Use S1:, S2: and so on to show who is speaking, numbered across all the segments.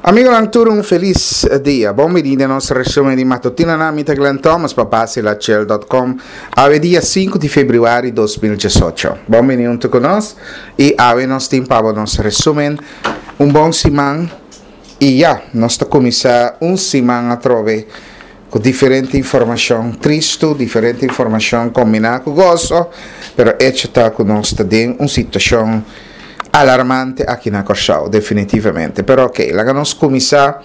S1: Amigonan tur un felis dia. Bon bini den nos resumen di matutinonan. Mi ta Glenn Thomas pa basilachel.com. Awe dia 5 di februari 2018. Bon bini hunto ku nos i awe nos tin pa bo nos resumen. Un bon siman i ya, nos ta kuminsá un siman atrobe ku diferente informashon tristu, diferente informashon kombiná ku goso, pero echo ta ku nos ta den un situashon alarmante aki na Kòrsou, definitivamente. Pero ok, laga nos kuminsá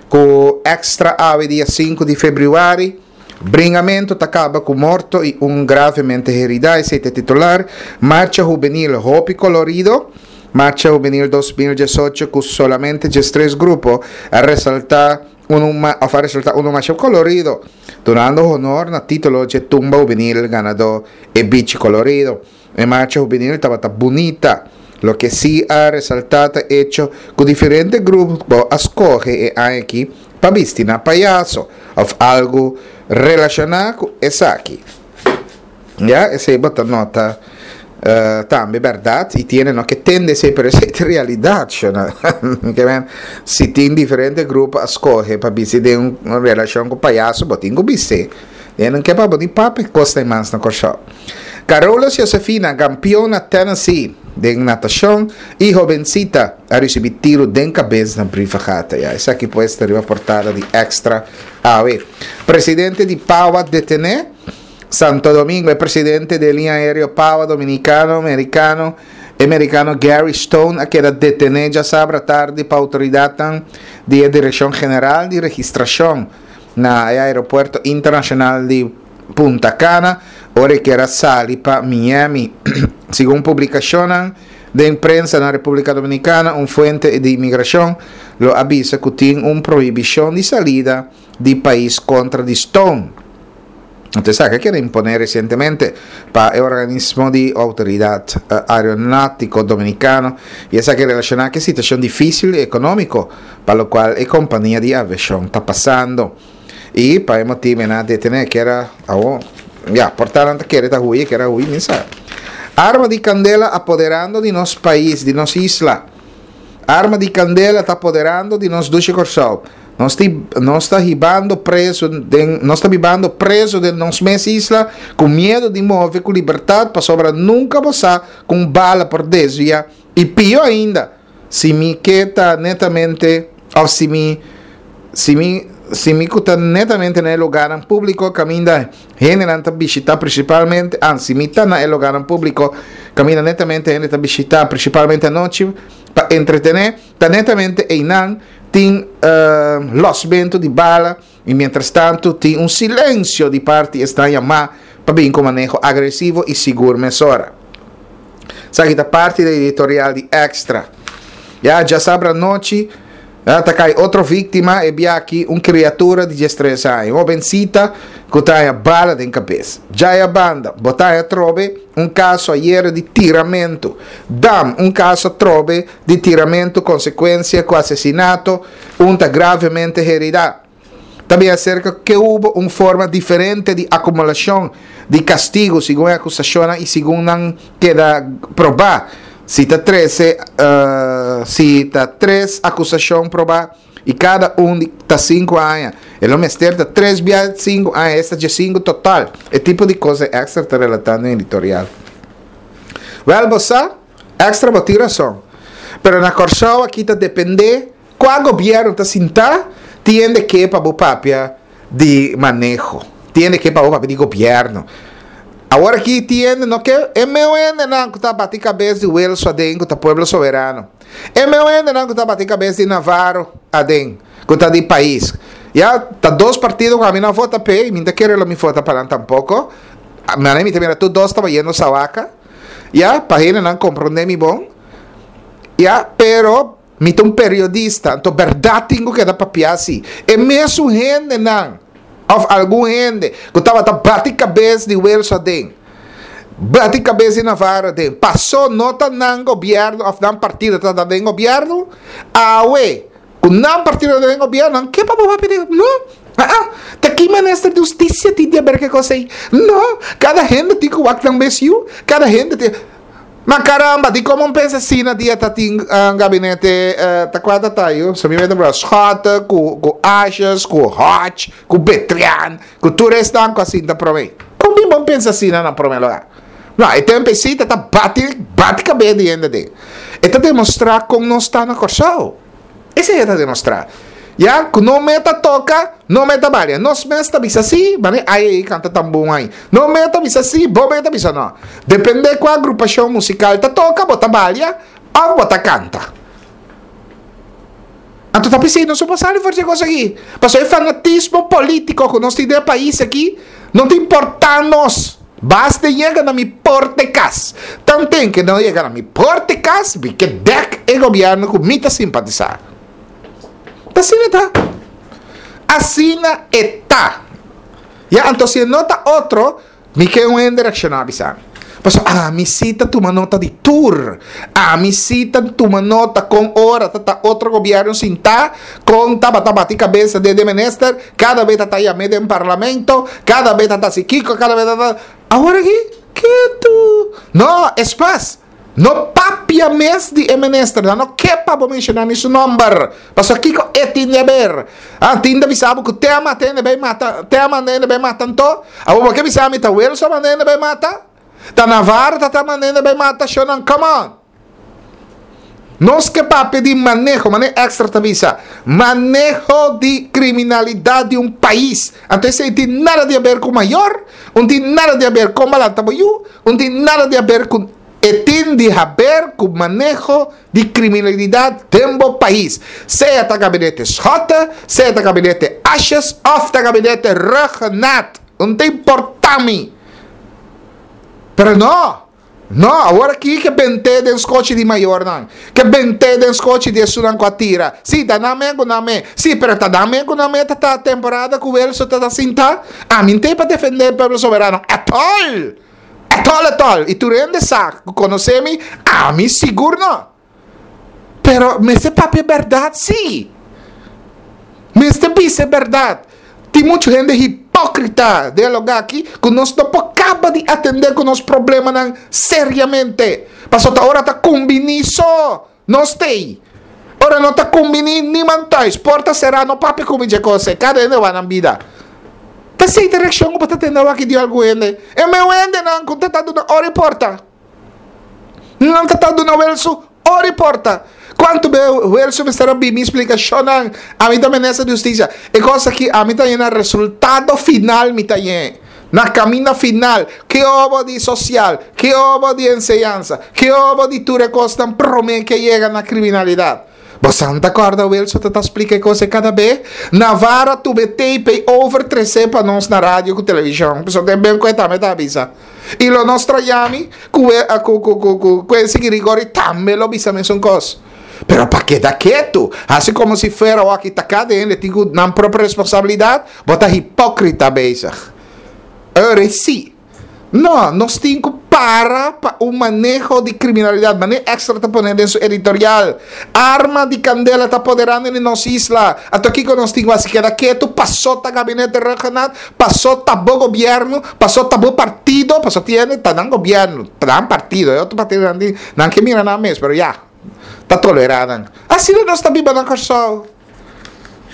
S1: ku Extra awe dia sinku di febrüari. Bringamentu ta kaba ku morto i un gravemente heridá, esei ta e titular. Marcha hubenil hopi kolorido. Marcha Hubenil 2018 ku solamente diestres grupo a resaltá unu òf a resultá unu masha kolorido, dunando honor na título dje tumba hubenil ganadó E Bichi Kolorido. E marcha hubenil tabata bunita. Loke sí a resaltá ta echo ku diferente grupo a skohe e aña aki pa bisti na payaso òf algu relashoná ku esaki. Ya, esei bo ta nota tambe bèrdat i tiene no ke tende esei pero esei ta realidat shona. Ke men si tin diferente grupo a skohe pa bisti den un relashon ku payaso bo tin ku bisti. E no ke pa bo ni papia kos mas na Kòrsou. Carolus Josefina, kampion na Tennessee den natashon i hobensita a risibí tiru den kabes na Brievengat. Ya, esaki pues ta riba portada di Extra awe. Presidente di Pawa detené. Santo Domingo, E presidente di e liña aereo Pawa Dominicano Mericano, e mericano Gary Stone a keda detene djasabra tardi pa autoridadnan di e Direccion General di Registracion na e aeropuerto internacional di Punta Cana ora e kier a sali pa Miami. Segun publicacionnan den prensa na Republica Dominicana, un fuente di inmigracion lo a bisa cu tin un prohibicion di salida di pais kontra di Stone. Anto esaki a keda imponé resientemente pa e organismo di outoridat aeronátiko dominikano i esaki relashoná ku e situashon difísil ekonómiko pa lokual e kompania di aviashon ta pasando. I pa e motibu nan a detené kier a awor ya por ta nan ta kere ta hui kier a hui mi sa. Arma di kandela apoderando di nos pais di nos isla. Arma di kandela ta apoderando di nos dushi Kòrsou. Nos ti, nos ta hibando preso den, nos ta bibando preso den nos mes isla ku miedo di move ku libertat pasobra nunka bo sa ku un bala por desvia i pio ainda si mi ke ta netamente of si mi si mi si mi ku ta netamente na e lugarnan públiko kaminda hendenan ta bishita prinsipalmente ah si mi ta na e lugarnan públiko kaminda netamente hende ta bishita prinsipalmente anochi pa entretené Ta netamente einan tin losmentu di bala i mientrastantu tin un silensio di parti esnan yamá pa bin ku maneho agresivo i sigur mesora. Esaki ta parti di editorial di Extra. Ya djasabra anochi ta kai otro víktima, e biaha aki un kriatura di diestres aña, un hobensita ku ta haña bala den kabes. Djaya banda, bo ta haña atrobe un kaso ayera di tiramentu. Dam, un kaso atrobe di tiramentu konsekuensia ku asesinato, un ta gravemente heridá. Ta bin aserka ke hubo un forma diferente di akumulashon di kastigu segun e akusashonnan i segun nan keda probá. Si ta trese si ta tres akusashon probá i kada un di ta sinku aña, e lo mester ta tres bia sinku aña, esta diesinku total. E tipo di kos ei Extra ta relatá den editorial. Wèl bo sa. Extra bo tin rason. Pero na Kòrsou aki ta dependé kua gobièrnu ta sintá tin hende ke pa bo papia di maneho. Tin hende ke pa bo papia di gobièrnu. Awor aki tin hende no ke e meu hendenan ku ta bati kabes di Wilson aden ku ta Pueblo Soberano. E meu hendenan ku ta bati kabes di Navarro aden ku ta di pais. Ya ta dos partido ku ami no a vota p'e i mi no ta kere lo mi vota pa nan tampoko. Manera mi ta mira tur dos ta bayendo sawaka. Ya, pa hendenan comprende mi bon. Ya, pero mi ta un periodista, anto berdad tin cu keda papia si. E mesun hendenan, of algun hende, cu tabata bati cabes di Wilson aden, bati cabes di Navarro aden, paso no ta nan gobierno of nan partido ta den gobierno, awe, Ku nan partido ta den gobierno, nan ke pa bo papia di no. Ah, ta ki minister di hustisia tin di aber ke kos ei? No, kada hende tin ku wak nan mes yu, kada hende tin. Ma caramba, di como pensa asina dia ta tin uh, gabinete uh, ta kwa ta tayo? So mi mete bro Schotten, ku ku Asjes, ku Hodge, ku Betrian, ku tur esnan ku a sinta prome. Kon bin bon pensa asina na prome lugar? No, e tempo si ta bati bati kabes di hende den. E ta demostra kon nos ta na Kòrsou. Esei e ta demostrá. Ya ku no me ta toka, no me ta balia. Nos mes ta bisa sí, mane ai ei kanta tan bon ai. No me ta bisa sí, bo me ta bisa no. Dependé kua agrupashon musikal ta toka, bo ta balia òf bo ta kanta. Anto ta p'esei nos no por sali for di e kos aki. Pasobra e fanatismo polítiko ku nos tin den e pais aki no ta importá nos. Basta e yega na mi porta e kas. Tanten ke no yega na mi porta e kas, mi ke dèk e gobièrnu ku mi ta simpatisá. Ta asina e ta. Asina e ta. Ya, anto si e no ta otro, Mi ke un hende reakshoná bisa mi. Pasobra ami sí ta tuma nota di tur. Ami sí ta tuma nota kon ora ta ta otro gobièrnu sintá, kon tabata bati kabesa den e minister, kada be ta ta yam'é den parlamento, kada be ta ta hasi kiko, kada be ta ta. Awor aki, ketu. No, es mas. No papia mes di e minister, nan no ke pa bo menshoná ni su nòmber. Pasobra kiko e tin di haber? Ah, tin ta bisa bo ku te a mata hende bai mata, te a manda hende bai mata anto? Abo bo ke bisa mi ta Wilson a manda hende bai mata? Ta Navarro ta ta manda hende bai mata? Shownan, come on! Nos ke papia di maneho, manera Extra ta bisa, maneho di kriminalidat di un pais. Anto esei tin nada di haber ku mayor, un tin nada di haber kon balanta bo yu, un tin nada di haber ku E tin di haber ku maneho di kriminalidat den bo pais, sea ta gabinete Schotte, sea ta gabinete Asjes òf ta gabinete Rhuggenaath, no ta importá mi. Pero no, no, awor aki ke bent'é den skochi di mayornan, ke bent'é den skochi di esunnan ku a tira. Sí, ta nan men ku nan men, sí, pero ta nan men ku nan men ta ta temporada ku Wilson ta ta sintá? Ami n'tei pa defendé pueblo soberano at all! Etol etol y tur hende sa cu conoce mi, ami sigur no. Pero mester papia berdad si. Mester bisa e berdad. Tin mucho hende hipocrita den e loga aki cu nos no por caba di atende cu nos problemanan seriamente. Pasobra ta ora ta cumbini so nos t'ey. Ora no ta kumbiní niman thuis, porta será, no papia ku mi dje kos ei, kada hende wak nan bida. Ta esei ta reakshon ku bo ta tende awor aki di algun hende. E meu hendenan ku ta ta duna ora i porta. Nan ta ta duna Wilson ora i porta. Kuantu be Wilson mester a bin mi splikashonnan, ami ta minister di hustisia. E kos aki ami ta yena resultado final mi ta yen. Na kaminda final, ke obo di sosial, ke obo di enseñansa, ke obo di tur e kosnan promé ke yega na kriminalidat. Bo san ta kòrda Wilson ta ta splika e kos ei kada be? Navarro a tuma e tape ei over tres'é pa nos na radio ku televishon. Pasobra den ben ku e tambe ta bisa. I lo nos trayami ku e ku ku ku ku Quincy Girigory tambe lo bisa mesun kos. Pero pa keda ketu, hasi komo si fuera wak ta kada hende tin ku nan propio responsabilidat, Bo ta hipókrita bezig. Ora sí. No, nos tin ku para pa un maneho di kriminalidat. Manera Extra ta pone den su editorial. Arma di kandela ta poderando di nos isla. Anto kiko nos tin ku hasi? Keda ketu pasó ta gabinete Rhuggenaath, pasó ta bo gobièrnu, pasó ta bo partido, pasó tin hende ta nan gobièrnu, ta nan partido. E otro partidonan tin, nan ke mira nan mes, pero ya, ta tolerá nan. Asina nos ta biba na Kòrsou.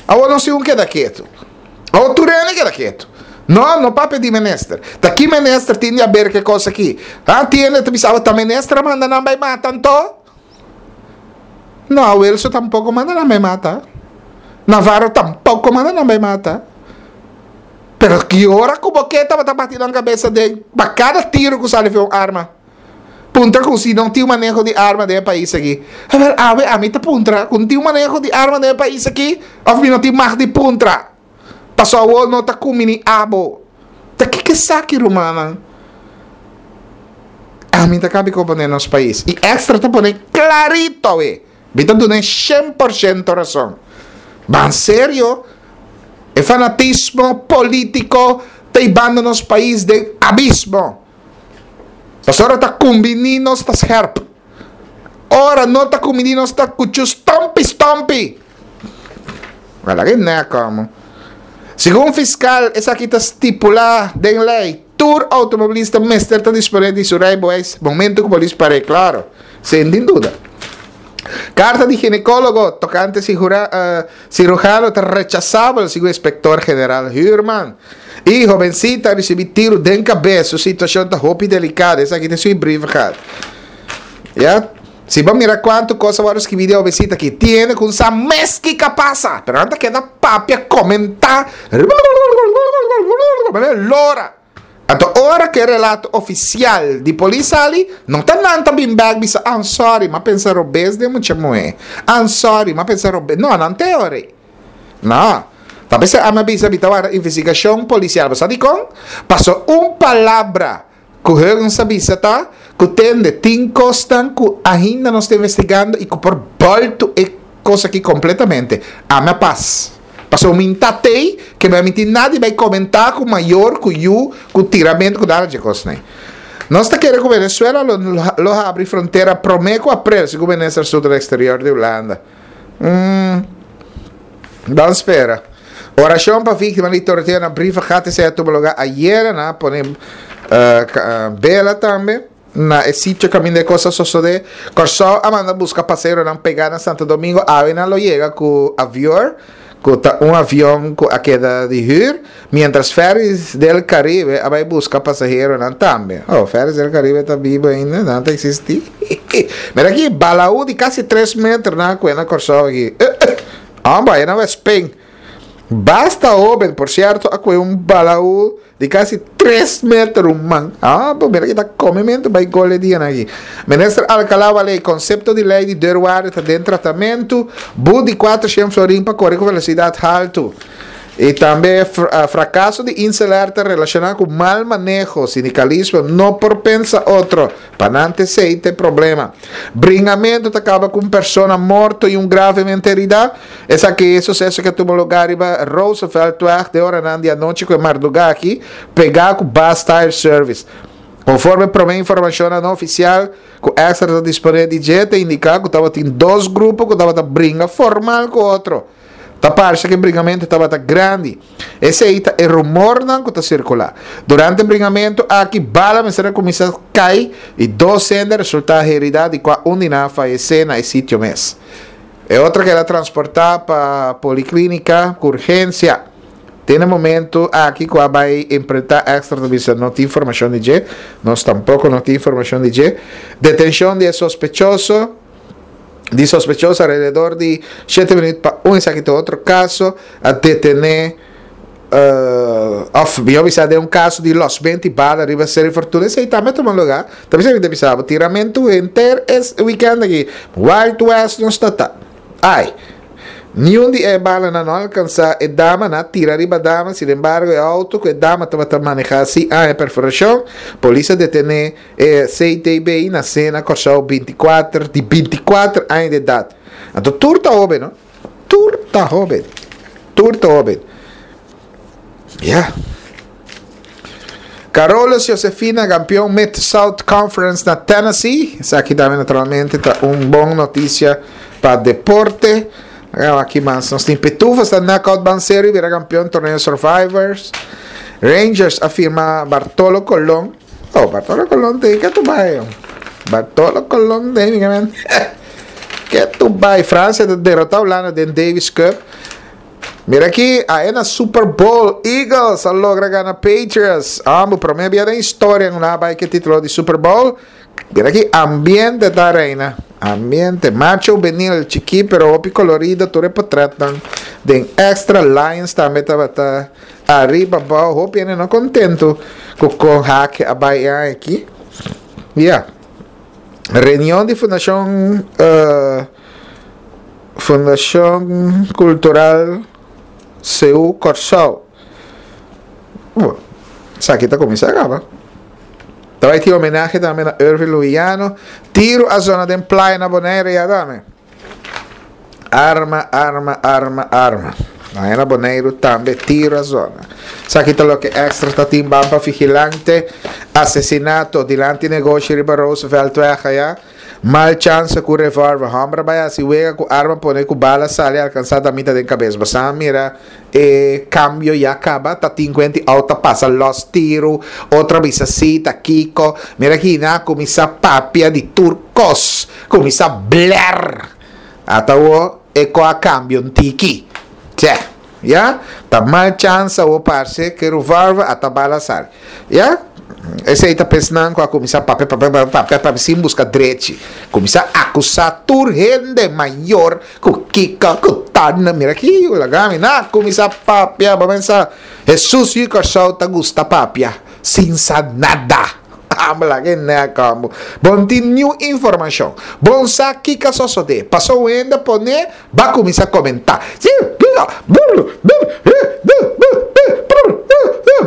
S1: Awor nos tin un keda ketu. Awor tur hende keda ketu. No, no papia di minister. Ta ki minister tin di haber ku e kos aki? Ha, tin hende ta bisa, ta minister a manda nan bai mata anto? No, Wilson tampoko manda nan bai mata. Navarro tampoko manda nan bai mata. Pero ki ora ku bo ke tabata bati nan kabesa den pa kada tiro ku sali for un arma? Puntra ku si no tin un maneho di arma den e pais aki. Awel, awe ami ta puntra ku no tin un maneho di arma den e pais aki òf mi no tin mag di puntra. Pasobra awor no ta kumini abo. Ta kiko esaki, rumannan? Ami ta kabi komprendé nos pais. I Extra ta pone klarito awe. Mi ta dun'é 100% rason. Ban serio, e fanatismo polítiko ta hibando nos pais den abismo. Pasobra ora ta kumbiní nos ta scherp. Ora no ta kumbiní nos ta kuchu stompi stompi. Wala ke nèk amo. Segun fiskal esaki ta stipulá den lei. Tur outomobilista mester ta disponé di su rijbewijs momento ku polis par'é, klaro, sin tin duda. Karta di ginekólogo tokante siruhano ta rechasabel, segun inspektor general Huurman. I hobensita a risibí tiru den kabes, su situashon ta hopi delikado. Esaki ta su brievengat. Ya. Si bo mira kuantu kos a wòrdu skibí di e hobensita aki, tin hende ku sa mes kiko a pasa, pero nan ta keda papia, komentá, lora. Anto ora ku e relato ofisial di polis sali, no ta nan ta bin bèk bisa, I'm sorry, m'a pensa robes den mucha muhé. I'm sorry, m'a pensa robes. No, nan ta e ora ei. No. Ta p'esei ami a bisa mi ta warda investigashon polisial. Bo sa dikon? Pasobra un palabra Ku Huggins a bisa ta ku tende tin kosnan ku ainda nos ta investigando i ku por bòltu e kos aki kompletamente. Ami a pas. Pasobra mi ta tei ke mi a minti nada di bai komentá ku mayor, ku yu, ku tiramentu, ku nada dje kosnan ei. Nos ta kere ku Venezuela lo lo habri frontera promé ku aprel, segun minister Asuntu di Eksterior di Hulanda. Mm. Ban spera. Orashon pa víktima di torteo na Brievengat esei a tuma lugá ayera. Nan a pone bela tambe na e sitio kaminda e kos a sosodé. Kòrsou a manda buska paseronan pegá na Santo Domingo. Awe nan lo yega ku avior, ku ta un avion ku a keda di hür, miéntras Ferries del Caribe a bai buska pasaheronan tambe. Oh, Ferries del Caribe ta bibu ainda? Nan ta eksistí? Mira aki, balaú di kasi tres meter nan a kue na Kòrsou aki. Amba, e na Westping. Basta hoben, por cierto, a coge un balaú di casi 3 meter un man. Ah, bo mira ki ta comimento bay gol e dianan aki. Minister Alcalá Wallé, concepto di ley di deurwaarder ta den tratamento, boet di 400 florin pa core cu velocidad halto. Y tambe fracaso di Inselair ta relaciona cu mal maneho, sindicalismo no por pensa otro. Pa nan ta esei ta e problema. Bringamentu ta kaba ku un persona morto i un gravemente heridá. Esaki e suseso ku a tuma lugá riba Rooseveltweg den oranan di anochi ku e mardugá aki, pegá ku Bass Tire Service. Konforme promé informashonnan no ofisial ku Extra ta disponé di dje ta indiká ku tabatin dos grupo ku tabata bringa formal ku otro. Ta parse ku e bringamentu tabata grandi. Esei ta e rumornan ku ta sirkulá. Durante e bringamentu aki, bala mester a kuminsá kai i dos hende a resultá heridá di kua un di nan a fayesé na e sitio mes. E otro keda transportá pa poliklínika ku urgensia. Te na e momentu aki ku a bai enfrentá Extra ta bisa no tin informashon di dje. Nos tampoko no tin informashon di dje. Detenshon di e sospechoso. Di sospechoso alrededor di shete minuut pa un esaki ta otro caso a detene of mihor bisa den un caso di losmento y bala riba Seri Fortuna esey tambe a tuma lugar ta bisa mi ta bisa bo tiramento henter es weekend aki Wild West nos ta ta ay niun di e balanan no alcansa e dama nan a tira riba dama sin embargo e auto cu e dama tabata maneha si a e perforacion polis a detene E CTB nasé na Kòrsou 24 di 24 aña di edat. Anto tur ta hóben, no? Tur ta hóben. Tur ta hóben. Ya. Carolus Josefina kampeon Mid South Conference na Tennessee. Esaki tambe naturalmente ta un bon notisia pa deporte. Aki mas nos tin Pitufos ta knockout Ban Serio bira kampeon torneo Survivors. Rangers a firma Bartolo Colon. Oh, Bartolo Colon te ke tu bai. Bartolo Colon te mi men. Ke tu bai. Francia ta derrota Holanda den Davis Cup. Mira aquí, a na Super Bowl, Eagles a logra gana Patriots. Ambo, prome bia den historia una bai ke titulo di Super Bowl. Mira aquí, ambiente ta reina. Ambiente, macho benil, chiki pero hopi colorido, tur e portretnan den extra. Lions tambe tabata Ariba abao hopi hende no contento cu con hake a bay e aña aki. Ya. Reunion di Fundacion uh, Fundacion Cultural CU Kòrsou. Oh, esaki ta kuminsá kaba. Ta bai tin homenahe tambe na Irving Luiano. Tiro a zona den playa na Bonaire ya tambe. Arma, arma, arma, arma. Aña na Boneiru tambe tiro a zona. Esaki ta loke extra ta tin ban pa vigilante. Asesinato dilanti negoshi riba Rooseveltweg aya. Mal chansa ku revolver. Hòmber a bai hasi wega ku arma pone ku bala sali alkansá damita den kabes. Bosan a mira e kambio ya kaba? Ta tin kuenti outo a pasa lòs tiru, otro a bisa si, ta kiko. Mira aki nan a kuminsá papia di tur kos, kuminsá blèr. Ata awor e ko a kambia un tiki. Tjè, ya? Ta mal chansa awor parse ku e revolver ata bala sali. Ya? Esei ta pesnan ku a kuminsá papia, papia, papia, papia, papia sin buska drechi. Kuminsá akusá tur hende mayor ku kiko, ku tan. Mira aki, laga mi na kuminsá papia. Bo pensa, Hesus yu Kòrsou ta gusta papia sin sa nada. Amo laga e nèk amo. Bo no tin niun informashon. Bo no sa kiko a sosodé. Paso un hende pone, Ba kuminsá komentá.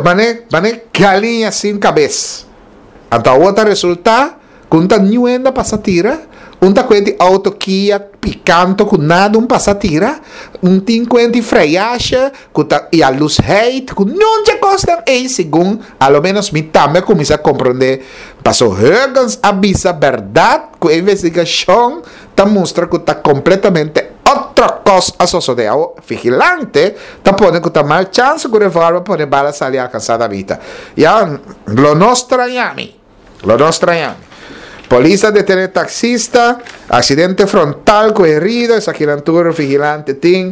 S1: Mane, mane galiña sin kabes. Anto awor ta resultá ku un ta niun hende a pasa tira, un ta kuenti outo Kia Picanto ku nada un pasa tira, un tin kuenti freyashe ku ta yalusheid, ku niun dje kosnan ei segun alomenos mi tambe a kuminsá komprondé. Paso Huggins a bisa bèrdat ku e investigashon ta mustra ku ta kompletamente otro kos a sosodé. Awor, vigilante ta pone ku ta mal chansa ku revolver pone bala sali alkansá Davita. Ya, lo no straña mi. Lo no straña mi. Polis a detené taksista, aksidente frontal ku herido, esakinan tur vigilante tin.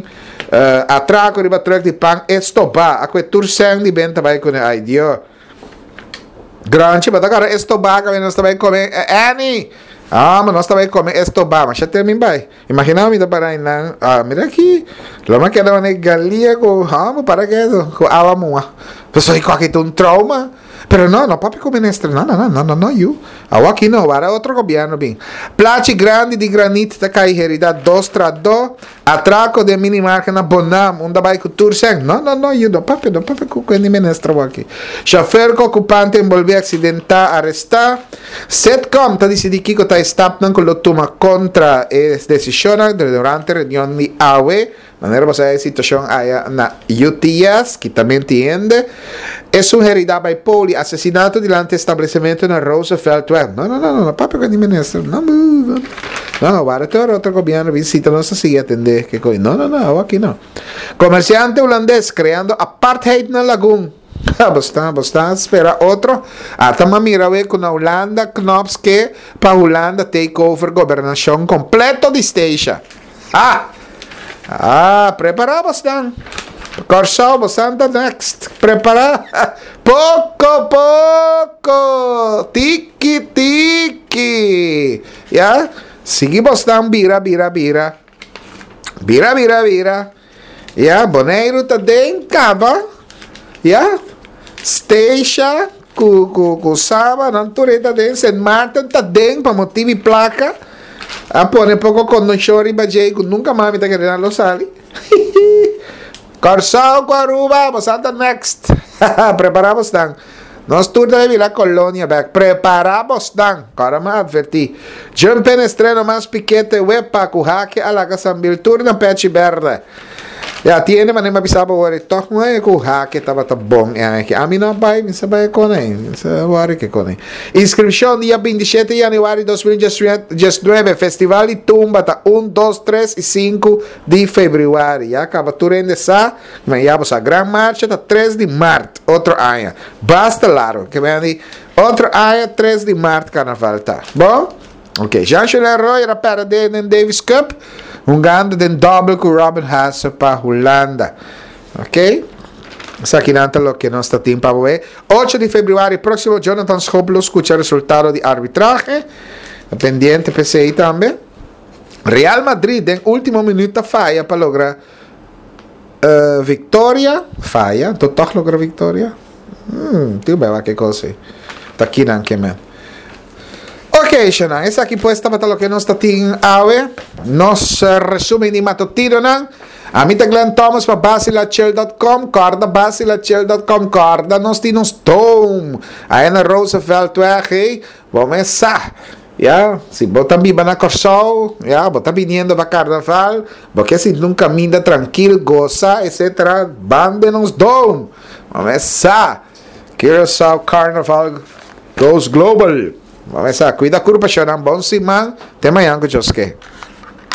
S1: Atrako riba trùk di pan estobá, a kue tur sèn di benta bai kuné. Ay Dio. Granchi, bo ta kòrda estobá kaminda nos ta bai kome Annie? Ah, ma nos ta bai kome estobá, masha te mi bai. Imagina mi ta para einan, ah, mira aki, lo mi a keda manera galia ku, ah, bo para ketu, ku awa mua. Pasobra e kòki ta un trauma. Pero no, no papia ku minister, no, no, no, no, no, no, yu. Awor aki no, wara otro gobièrnu bin. Plachi grandi di granit ta kai herida dos tradó. Atraco den minimarket na Bonam, unda bai cu tur sèn. No, no, no, yu no papia, no papia cu cu di minister awor aki. Chauffeur cu ocupante envolvi accidenta, aresta. Setcom ta dicidi kico ta e stapnan cu lo tuma contra e decisionnan durante reunion di awe. Manera bo sa e situacion aya na UTS, kitamento di hende. Esun herida bai poli, asesinato dilanti establecimento na Rooseveltweg. No, no, no, no, no papia cu di minister. No, no, no, wara te ora otro gobierno bin sita nos ta sigui atende ke coi. No, no, no, awo aki no. Comerciante hulandes creando apartheid na Lagun. Bo sta, bo sta spera otro. Ata ma mira we cu na Hulanda Knops ke pa Hulanda take over gobernacion completo di Statia. Ha! Ah, prepará bosnan. Kòrsou, bosnan ta next. Prepará. Poko, poko. Tiki, tiki. Ya? Sigui bosnan bira, bira, bira. Bira, bira, bira. Ya, Boneiru ta den kaba. Ya? Statia ku ku ku Saba nan tur e ta den. Sint Maarten ta den pa motibu di plaka. A pone poko kondishon riba dje ku nunka mas mi ta kere nan lo sali. Kòrsou ku Aruba boso ta next. Prepará bosnan. Nos tur ta bira kolonia bèk. Prepará bosnan. Kòrda mi a atvertí. Jump-in estreno mas pikete wepa ku hake a laga Sambil tur na pechi bèrdè. Ya, tiene manera mi a bisa bo wor e tòg no e ku hake tabata bon e aña aki. Ami no a bai, mi sa bai e kon ei. Mi sa wòri ke kon ei. Inskripshon dia 27 yanüari 2019, Festival di Tumba ta un, dos, tres i sinku di febrüari. Ya kaba tur hende sa, ma ya bo sa. Gran Marcha ta tres di mart otro aña. Basta largo. Ke men di otro aña tres di mart karnaval ta. Bon? Ok, Jean-Julien Rojer a perde den Davis Cup, hungando den dobbel ku Robin Haase pa Hulanda. Ok, esakinan ta loke nos ta tin pa boe. Ocho di februari próksimo Jonathan Schoop lo skucha resultado di arbitrahe. Pendiente pa esei tambe. Real Madrid den último minuut ta faya pa logra victoria. Faya, anto tòg logra victoria? Hmm, tin un beba ke kos ei. Ta kinan ke men. Ok, Shanan, esaki pues tabata loke nos ta tin awe. Nos resumen di matutinonan. Ami ta Glenn Thomas pa basilachel.com. Corda basilachel.com. Corda nos tin nos dome. Aya na Rooseveltweg, hey. Bo mes sa. Ya, si bo ta biba na Kòrsou, ya, bo ta biniendo pa karnaval, bo ke sinti un kaminda trankil, gosa, etcetera, ban den nos dome. Bo mes sa. Curaçao Carnaval goes global. Bo mester a kuida kurpa shownan. Bon siman. Te mañan ku Dios ke.